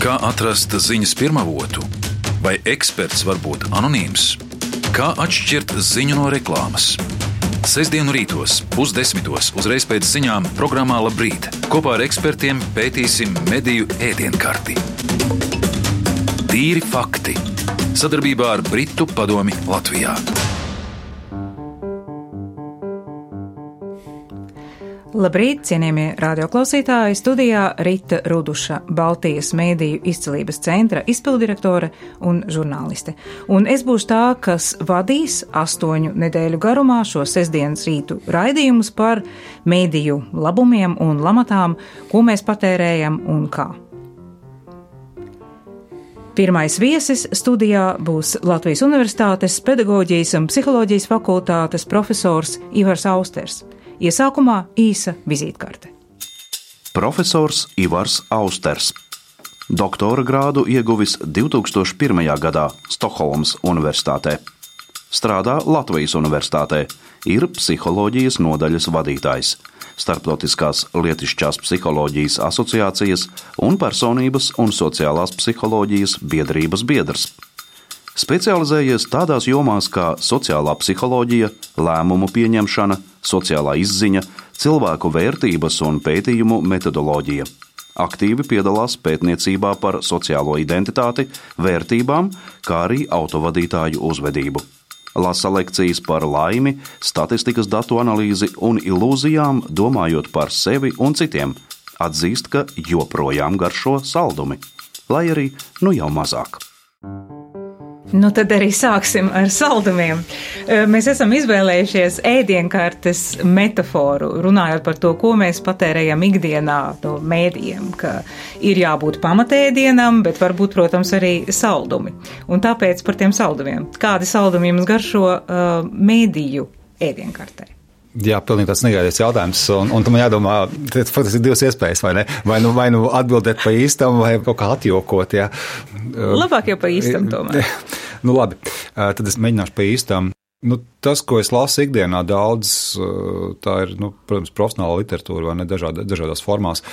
Kā atrast ziņas pirmavotu? Vai eksperts var būt anonīms? Kā atšķirt ziņu no reklāmas? Sestdienu rītos, 9:30 uzreiz pēc ziņām programmā Labrīt. Kopā ar ekspertiem pētīsim mediju ēdienkarti. Tīri fakti. Sadarbībā ar Britu padomi Latvijā. Labrīt, cienījamie radioklausītāji, studijā Rita Ruduša, Baltijas mēdīju izcilības centra izpildirektore un žurnāliste. Un es būšu tā, kas vadīs 8 nedēļu garumā šo sestdienas rītu raidījumus par mēdīju labumiem un lamatām, ko mēs patērējam un kā. Pirmais viesis studijā būs Latvijas Universitātes pedagoģijas un psiholoģijas fakultātes profesors Ivars Austers. Iesākumā īsa vizītkarte. Profesors Ivars Austers. Doktora grādu ieguvis 2001. gadā Stokholmas Universitātē. Strādā Latvijas Universitātē, ir psiholoģijas nodaļas vadītājs, Starptautiskās lietišķās psiholoģijas asociācijas un personības un sociālās psiholoģijas biedrības biedrs. Specializējies tādās jomās kā sociālā psiholoģija, lēmumu pieņemšana, sociālā izziņa, cilvēku vērtības un pētījumu metodoloģija. Aktīvi piedalās pētniecībā par sociālo identitāti, vērtībām, kā arī autovadītāju uzvedību. Lasa lekcijas par laimi, statistikas datu analīzi un ilūzijām, domājot par sevi un citiem. Atzīst, ka joprojām garšo saldumi, lai arī jau mazāk. Nu tad arī sāksim ar saldumiem. Mēs esam izvēlējušies ēdienkartes metaforu, runājot par to, ko mēs patērējam ikdienā no mēdījiem, ka ir jābūt pamatēdienam, bet varbūt, protams, arī saldumi. Un tāpēc par tiem saldumiem. Kādi saldumi jums garšo mēdīju ēdienkartē? Jā, pilnīgi tāds negaidīts jautājums, un tam jādomā, tas faktiski ir divas iespējas, vai ne? Vai nu atbildēt pa īstam, vai kaut kā atjokot, jā. Labāk jau pa īstam tomēr. Nu labi, tad es mēģināšu pa īstam. Tas, ko es lasu ikdienā daudz, tā ir, protams, profesionāla literatūra, vai ne, dažādās formās.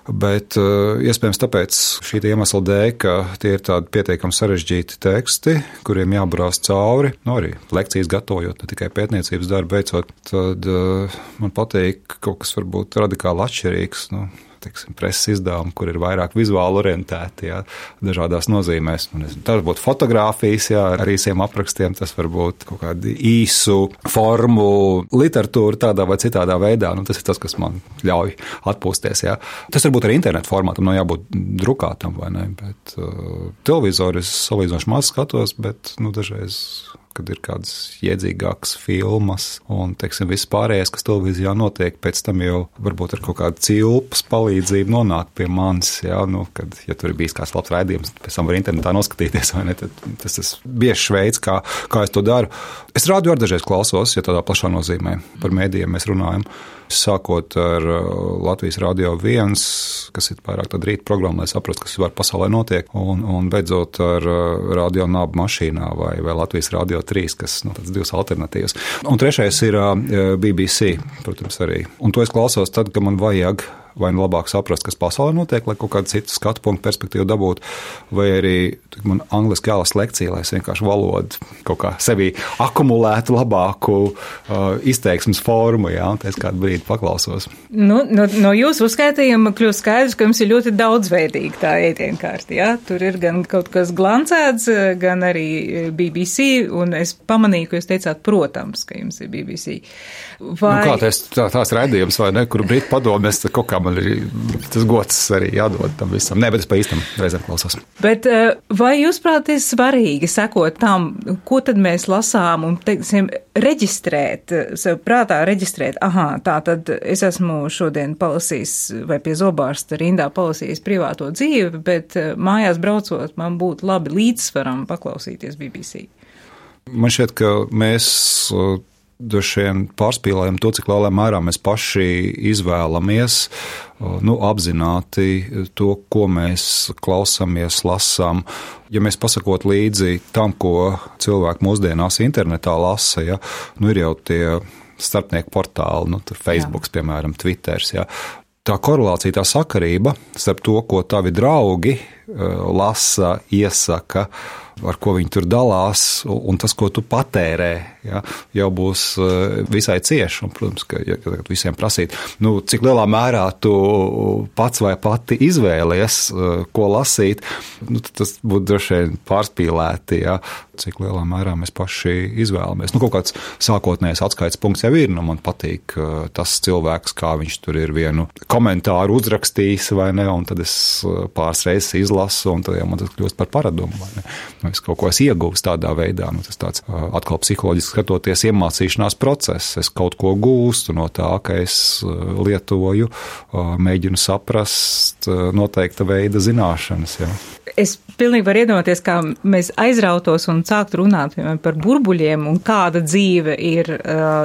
Bet iespējams tāpēc šī iemesla dēļ, ka tie ir tādi pietiekami sarežģīti teksti, kuriem jāburās cauri, arī lekcijas gatavojot, ne tikai pētniecības darbu veicot, tad man patīk kaut kas varbūt radikāli atšķirīgs, preses izdevumi, kur ir vairāk vizuāli orientēti, jā, dažādās nozīmēs. Tas var būt fotogrāfijas, jā, ar īsiem aprakstiem, tas var būt kaut kādu īsu formu literatūra tādā vai citādā veidā. Tas ir tas, kas man ļauj atpūsties, jā. Tas var būt arī internetu formātam, nav jābūt drukātam, vai ne, bet televizoru es salīdzinoši maz skatos, bet, dažreiz, kad ir kādas iedzīgākas filmas un, viss pārējais, kas televīzijā notiek, pēc tam jau varbūt ar kaut kādu cilpas palīdzību nonāk pie manis, jā, kad, ja tur ir bijis kāds labs raidījums, pēc tam var internetā noskatīties, vai ne, tad tas ir biežs veids, kā es to daru. Es rādio ar dažreiz klausos, ja tādā plašā nozīmē par mēdījiem mēs runājam. Sākot ar Latvijas Radio 1, kas ir vairāk tāda rīta programma, lai saprastu, kas var pasaulē notiek, un beidzot ar Radio Naba mašīnā vai Latvijas Radio 3, kas tāds divas alternatīvas. Un trešais ir BBC, protams, arī. Un to es klausos tad, kad man vajag vai labāk saprast, kas pasaulē notiek, lai kaut kādu citu skatu punktu perspektīvu dabūtu, vai arī man angliski jālasa lekcija, lai es vienkārši valodu kaut kā sevī akumulētu labāku izteiksmes formu, jā, un es kādu brīdi paklausos. No jūsu uzskaitījuma kļūst skaidrs, ka jums ir ļoti daudzveidīga tā ēdienkārta, jā? Tur ir gan kaut kas glancēts, gan arī BBC, un es pamanīju, ka jūs teicāt, protams, ka jums ir BBC. Vai... Tās raidījums, vai ne, kur Britu padomēs, kaut kā man ir tas gods arī jādod tam visam. Nē, bet es pa īstam reizēm klausos. Bet vai jūs prāt ir svarīgi sekot tam, ko tad mēs lasām un, reģistrēt, sev prātā reģistrēt, tā tad es esmu šodien palasījis vai pie zobārsta rindā palasījis privāto dzīvi, bet mājās braucot man būtu labi līdzsvaram paklausīties BBC. Man šķiet, ka mēs droši vien pārspīlējam to, cik lielā mērā mēs paši izvēlamies apzināti to, ko mēs klausāmies, lasām. Ja mēs pasakot līdzi tam, ko cilvēki mūsdienās internetā lasa, ja, ir jau tie starpnieku portāli, tur Facebooks, piemēram, Twitters, ja. Tā korelācija, tā sakarība starp to, ko tavi draugi lasa, iesaka, ar ko viņi tur dalās, un tas, ko tu patērē, ja, jau būs visai cieši. Un, protams, ka visiem prasīt, cik lielā mērā tu pats vai pati izvēlies, ko lasīt, tas būtu droši vien pārspīlēti, ja, cik lielā mērā mēs paši izvēlamies. Kaut kāds sākotnējais atskaites punkts jau ir, man patīk tas cilvēks, kā viņš tur ir vienu komentāru uzrakstījis, vai ne, un tad es pāris reizes izlasu, un tad jau man tas kļūst par paradumu, vai ne. Es kaut ko iegūstu tādā veidā, tas tāds atkal psiholoģiski skatoties iemācīšanās process. Es kaut ko gūstu no tā, ka es lietoju, mēģinu saprast noteikta veida zināšanas. Ja. Es pilnīgi varu iedomāties, kā mēs aizrautos un sākt runāt par burbuļiem un kāda dzīve ir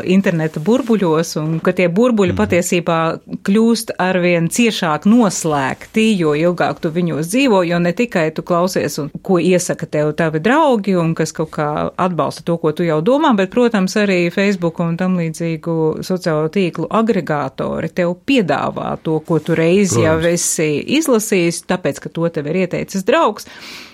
interneta burbuļos un ka tie burbuļi patiesībā kļūst arvien ciešāk noslēgti, jo ilgāk tu viņos dzīvo, jo ne tikai tu klausies un ko iesaka tev tavi draugi un kas kaut kā atbalsta to, ko tu jau domā, bet, protams, arī Facebook un tam līdzīgu sociālo tīklu agregātori tev piedāvā to, ko tu reizi jau esi izlasījis, tāpēc, ka to tev ir ieteicis draugs.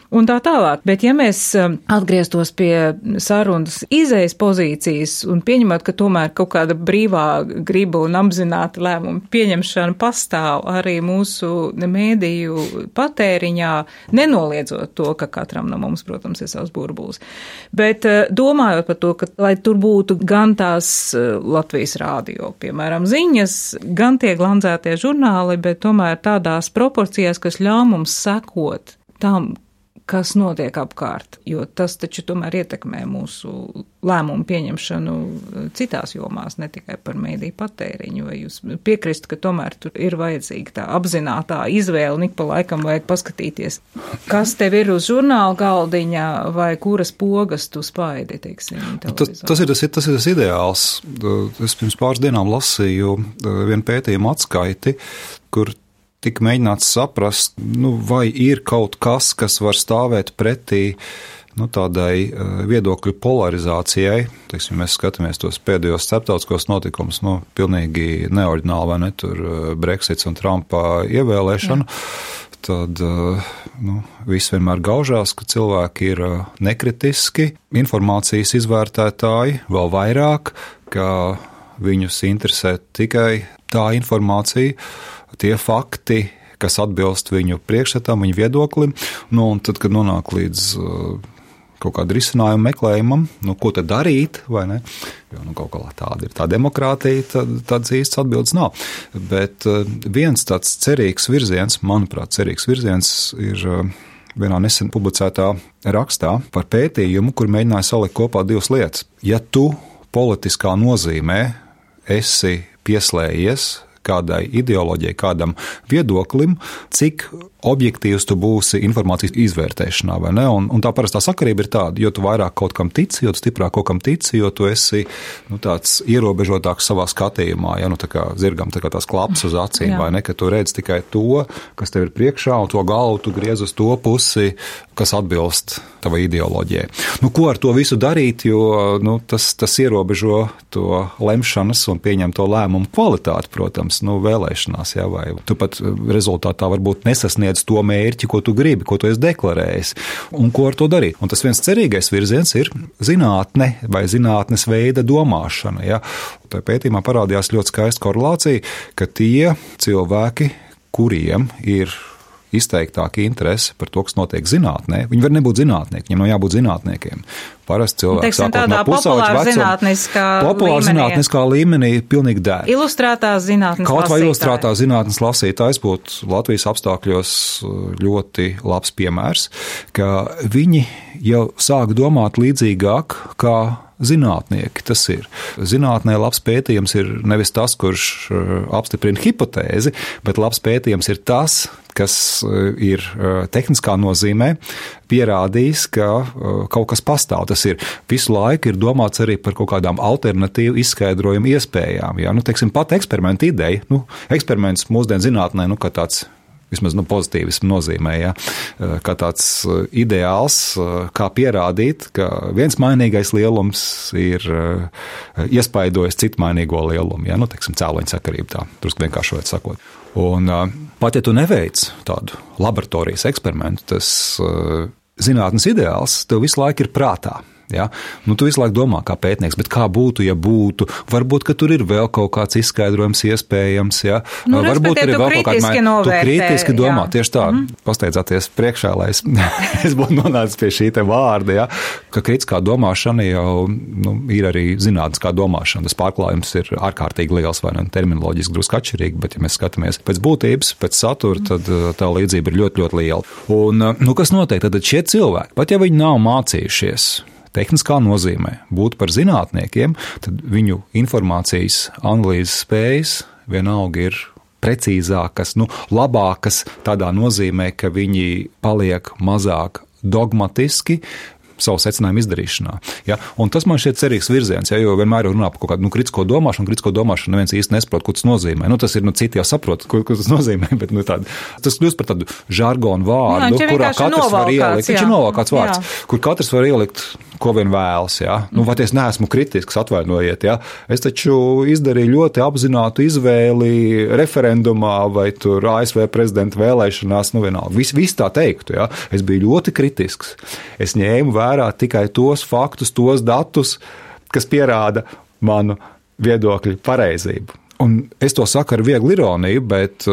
Un tā tālāk, bet ja mēs atgrieztos pie sarunas izējas pozīcijas un pieņemot, ka tomēr kaut kāda brīvā griba un apzināta lēmuma pieņemšana pastāv arī mūsu mēdīju patēriņā, nenoliedzot to, ka katram no mums, protams, ir savs burbulis. Bet domājot par to, ka lai tur būtu gan tās Latvijas rādio, piemēram, ziņas, gan tie glanzētie žurnāli, bet tomēr tādās proporcijās, kas ļauj mums sekot tam, kas notiek apkārt, jo tas taču tomēr ietekmē mūsu lēmumu pieņemšanu citās jomās, ne tikai par mēdīju patēriņu. Vai jūs piekristu, ka tomēr tur ir vajadzīga tā apzinātā izvēle un ik pa laikam vajag paskatīties, kas tev ir uz žurnāla galdiņa vai kuras pogas tu spaidi, teiksim, televizorā? Tas ir tas ideāls. Es pirms pāris dienām lasīju vienu pētījumu atskaiti, kur tika mēģināts saprast, vai ir kaut kas, kas var stāvēt pretī tādai viedokļu polarizācijai. Teiksim, mēs skatāmies tos pēdējos starptautiskos notikumus, pilnīgi neoriģināli, vai ne, tur Brexits un Trumpa ievēlēšana. Jā. Tad viss vienmēr gaužās, ka cilvēki ir nekritiski, informācijas izvērtētāji vēl vairāk, ka viņus interesē tikai tā informācija, tie fakti, kas atbilst viņu priekšstatam, viņu viedoklim, un tad, kad nonāk līdz kaut kādu risinājumu meklējumam, ko tad darīt, vai ne, jo kaut kā tāda ir tā demokrātija, tāds īsts atbildes nav. Bet viens tāds cerīgs virziens, manuprāt, ir vienā nesen publicētā rakstā par pētījumu, kur mēģināja salikt kopā divas lietas. Ja tu politiskā nozīmē esi pieslējies kādai ideoloģijai, kādam viedoklim, cik objektīvs tu būsi informācijas izvērtēšanā, vai ne? Un tā parastā sakarība ir tāda, jo tu vairāk kaut kam tici, jo tu stiprāk kaut kam tici, jo tu esi tāds ierobežotāks savā skatījumā, ja, tā kā zirgam tā kā tās klaps uz acīm, vai ne, ka tu redz tikai to, kas tev ir priekšā, un to galvu tu griez uz to pusi, kas atbilst tavai ideoloģijai. Ko ar to visu darīt, jo tas ierobežo to lemšanas un pieņemto lēmumu kvalitāti, protams, vēlēšanās, ja, vai tu pat rezultātā varbūt nesasniedz to mērķi, ko tu gribi, ko tu esi deklarējis, un ko ar to darīt. Un tas viens cerīgais virziens ir zinātne vai zinātnes veida domāšana. Ja. Tā pētījumā parādījās ļoti skaista korelācija, ka tie cilvēki, kuriem ir izteiktāka interese par to, kas notiek zinātnē, viņi var nebūt zinātnieki, viņiem nav jābūt zinātniekiem. Parasti cilvēki sākot no pusauģa vecuma, populāra zinātniskā līmenī pilnīgi dēļ. Ilustrētās zinātnes lasītāji. Kaut vai ilustrētās zinātnes lasītājs būtu Latvijas apstākļos ļoti labs piemērs, ka viņi jau sāk domāt līdzīgāk, kā zinātnieki tas ir. Zinātnē labs pētījums ir nevis tas, kurš apstiprina hipotēzi, bet labs pētījums ir tas, kas ir tehniskā nozīmē pierādījis, ka kaut kas pastāv. Tas ir visu laiku ir domāts arī par kaut kādām alternatīvu izskaidrojumu iespējām. Ja? Teiksim, pat eksperimenta ideja. Eksperiments mūsdienu zinātnē, kā tāds vismaz pozitīvismu nozīmē, ja, kā tāds ideāls, kā pierādīt, ka viens mainīgais lielums ir iespaidojis citu mainīgo lielumu, ja, teiksim, cēloņu sakarību tā, drusku vienkāršot sakot. Un pat ja tu neveic tādu laboratorijas eksperimentu, tas zinātnes ideāls tev visu laiku ir prātā. Ja? Tu visu laiku domā kā pētnieks, bet kā būtu, ja būtu? Varbūt, ka tur ir vēl kaut kāds izskaidrojums iespējams. Ja? Varbūt tur ir vēl kaut kāda maiņa. Tu kritiski domā, tieši tā, pasteidzāties priekšā, lai es būtu nonācis pie šī te vārda, ja? Ka kritiskā domāšana jau ir arī zinātniskā domāšana. Tas pārklājums ir ārkārtīgi liels, vai ne terminoloģiski drusku atšķirīgi, bet ja mēs skatāmies pēc būtības, pēc satura, tad tā līdzība ir ļoti, ļoti liela. Un, kas notiek? Tad šie cilvēki, pat ja viņi nav mācījušies tehniskā nozīmē būt par zinātniekiem, tad viņu informācijas analīzes spējas vienalga ir precīzākas, labākas tādā nozīmē, ka viņi paliek mazāk dogmatiski savu secinājumu izdarīšanā. Ja? Un tas man šķiet cerīgs virziens, ja? Jo vienmēr runā par kaut kādu kritisko domāšanu neviens īsti nesaprot, ko tas nozīmē. Tas ir, citi jau saprot, ko tas nozīmē, bet tas kļūst par tādu žargonu vārdu, kurā katrs var ielikt. Viņš ir novalkāts vārds, kur katrs var ielikt, ko vien vēlas. Ja? Vai es neesmu kritisks, atvainojiet. Ja? Es taču izdarīju ļoti apzinātu izvēli referendumā vai tur ASV prezidenta vēlēšanās, vienalga. Viss tā teiktu. Ja? Es biju ļoti kritisks. Es ņēmu vērā tikai tos faktus, tos datus, kas pierāda manu viedokļu pareizību. Un es to saku ar vieglu ironiju, bet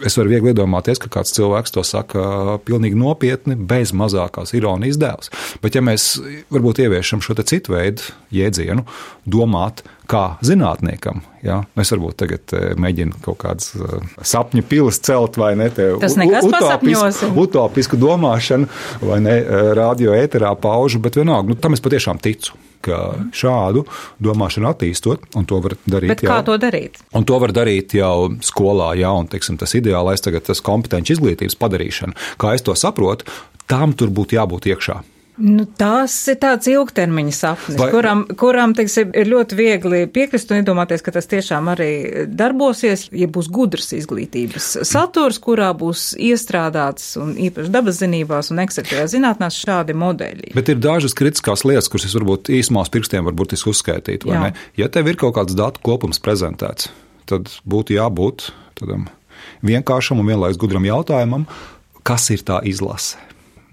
es varu viegli iedomāties, ka kāds cilvēks to saka pilnīgi nopietni, bez mazākās ironijas dēls. Bet ja mēs varbūt ieviešam šo te citu veidu jēdzienu, domāt kā zinātniekam, ja? Es varbūt tagad mēģinu kaut kādas sapņu pilis celt vai ne, utopisku domāšanu vai ne, radio ēterā paužu, bet vienalga, tam es patiešām ticu, ka šādu domāšanu attīstot, un to var darīt. Bet kā to darīt? Un to var darīt jau skolā, jā, un, teiksim, tas ideālais tagad tas kompetenci izglītības padarīšana. Kā es to saprotu, tam tur būtu jābūt iekšā. Tas ir tāds ilgtermiņa sapnis, kuram teiksim, ir ļoti viegli piekrist un iedomāties, ka tas tiešām arī darbosies, ja būs gudrs izglītības saturs, kurā būs iestrādāts un īpaši dabas zinībās un eksaktajā zinātnās šādi modeļi. Bet ir dažas kritiskās lietas, kuras es varbūt īsumā uz pirkstiem var burtiski uzskaitīt, vai ne? Ja tev ir kaut kāds datu kopums prezentēts, tad būtu jābūt tādam vienkāršam un vienlaikus gudram jautājumam, kas ir tā izlase.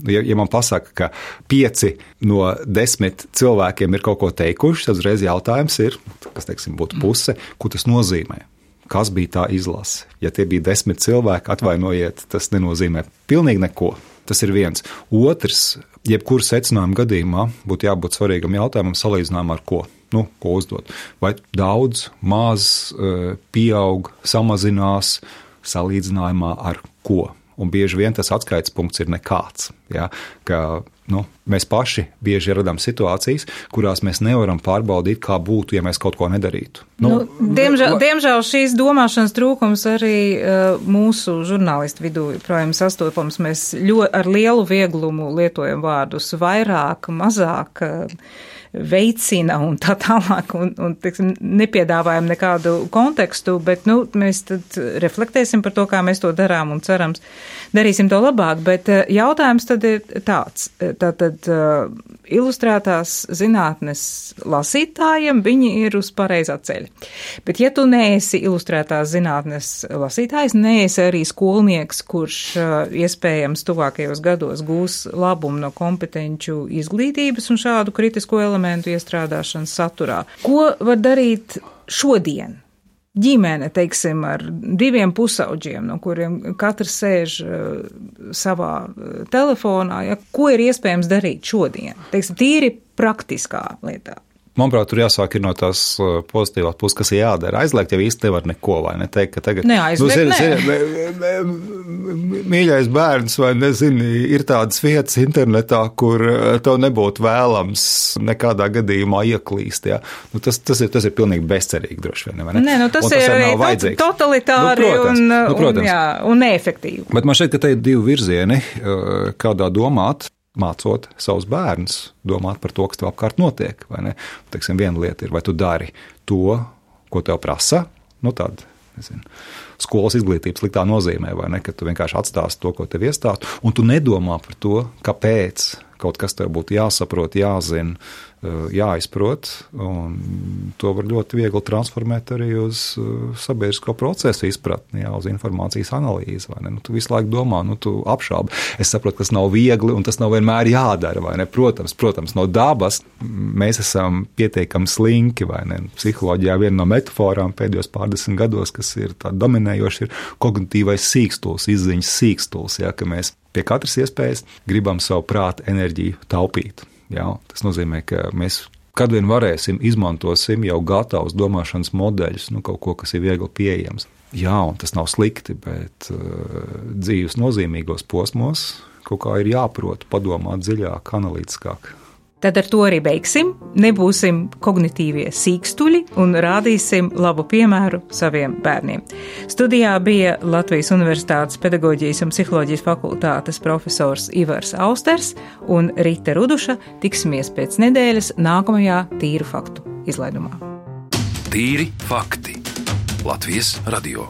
Ja man pasaka, ka 5 no 10 cilvēkiem ir kaut ko teikuši, tad uzreiz jautājums ir, kas, teiksim, būtu puse, ko tas nozīmē? Kas bija tā izlase? Ja tie bija 10 cilvēki, atvainojiet, tas nenozīmē pilnīgi neko. Tas ir viens. Otrs, jebkuru secinājumu gadījumā būtu jābūt svarīgam jautājumam salīdzinājumā ar ko? Ko uzdot? Vai daudz, maz, pieaug, samazinās salīdzinājumā ar ko? Un bieži vien tas atskaites punkts ir nekāds. Ja? Ka, mēs paši bieži radām situācijas, kurās mēs nevaram pārbaudīt, kā būtu, ja mēs kaut ko nedarītu. Diemžēl šīs domāšanas trūkums arī mūsu žurnālistu vidū projām sastopams. Mēs ar lielu vieglumu lietojam vārdus vairāk, mazāk, veicina un tā tālāk, un teiksim, nepiedāvājam nekādu kontekstu, bet mēs tad reflektēsim par to, kā mēs to darām un cerams darīsim to labāk, bet jautājums tad ir tāds. Tātad ilustrētās zinātnes lasītājiem viņi ir uz pareizā ceļa. Bet ja tu neesi ilustrētās zinātnes lasītājs, neesi arī skolnieks, kurš iespējams tuvākajos gados gūs labumu no kompetenču izglītības un šādu kritisko elementu iestrādāšanas saturā. Ko var darīt šodien? Ģimene, teiksim, ar 2 pusauģiem, no kuriem katrs sēž savā telefonā, ja, ko ir iespējams darīt šodien? Teiksim, tīri praktiskā lietā. Manuprāt, tur jāsāk ir no tās pozitīvās puses, kas ir jādara. Aizliegt jau īsti nevar neko, vai ne? Teikt, ka tagad, mīļais bērns, vai nezinu, ir tādas vietas internetā, kur tev nebūtu vēlams nekādā gadījumā ieklīst, jā. Tas ir pilnīgi bezcerīgi, droši vien, vai ne? Tas ir arī totalitāri un neefektīvi. Bet man šeit, ka te ir 2 virzieni, kādā domāt. Mācot savus bērnus, domāt par to, kas tev apkārt notiek, vai ne? Teiksim, viena lieta ir, vai tu dari to, ko tev prasa, tāda skolas izglītības sliktā nozīmē, vai ne, ka tu vienkārši atstāsi to, ko tev iestāst, un tu nedomā par to, kāpēc kaut kas tev būtu jāsaprot, jāzina, jāizprot, un to var ļoti viegli transformēt arī uz sabiedrisko procesu izpratni, uz informācijas analīzi, vai ne? Tu visu laiku domā, tu apšaubi. Es saprotu, ka tas nav viegli, un tas nav vienmēr jādara, vai ne? Protams, no dabas mēs esam pietiekami slinki, vai ne? Psiholoģijā viena no metaforām pēdējos pārdesmit gados, kas ir tā dominējoši, ir kognitīvais sīkstuls, izziņas sīkstuls, ja, ka mēs pie katras iespējas gribam savu prātu enerģiju taupīt. Jā, tas nozīmē, ka mēs, kad vien varēsim, izmantosim jau gatavus domāšanas modeļus, kaut ko, kas ir viegli pieejams. Jā, un tas nav slikti, bet dzīves nozīmīgos posmos kaut kā ir jāprot padomāt dziļāk, analītiskāk. Tad ar to arī beigsim, nebūsim kognitīvie sīkstuļi un rādīsim labu piemēru saviem bērniem. Studijā bija Latvijas Universitātes pedagoģijas un psiholoģijas fakultātes profesors Ivars Austers un Rita Ruduša. Tiksimies pēc nedēļas nākamajā Tīru faktu izlaidumā. Tīri fakti. Latvijas radio.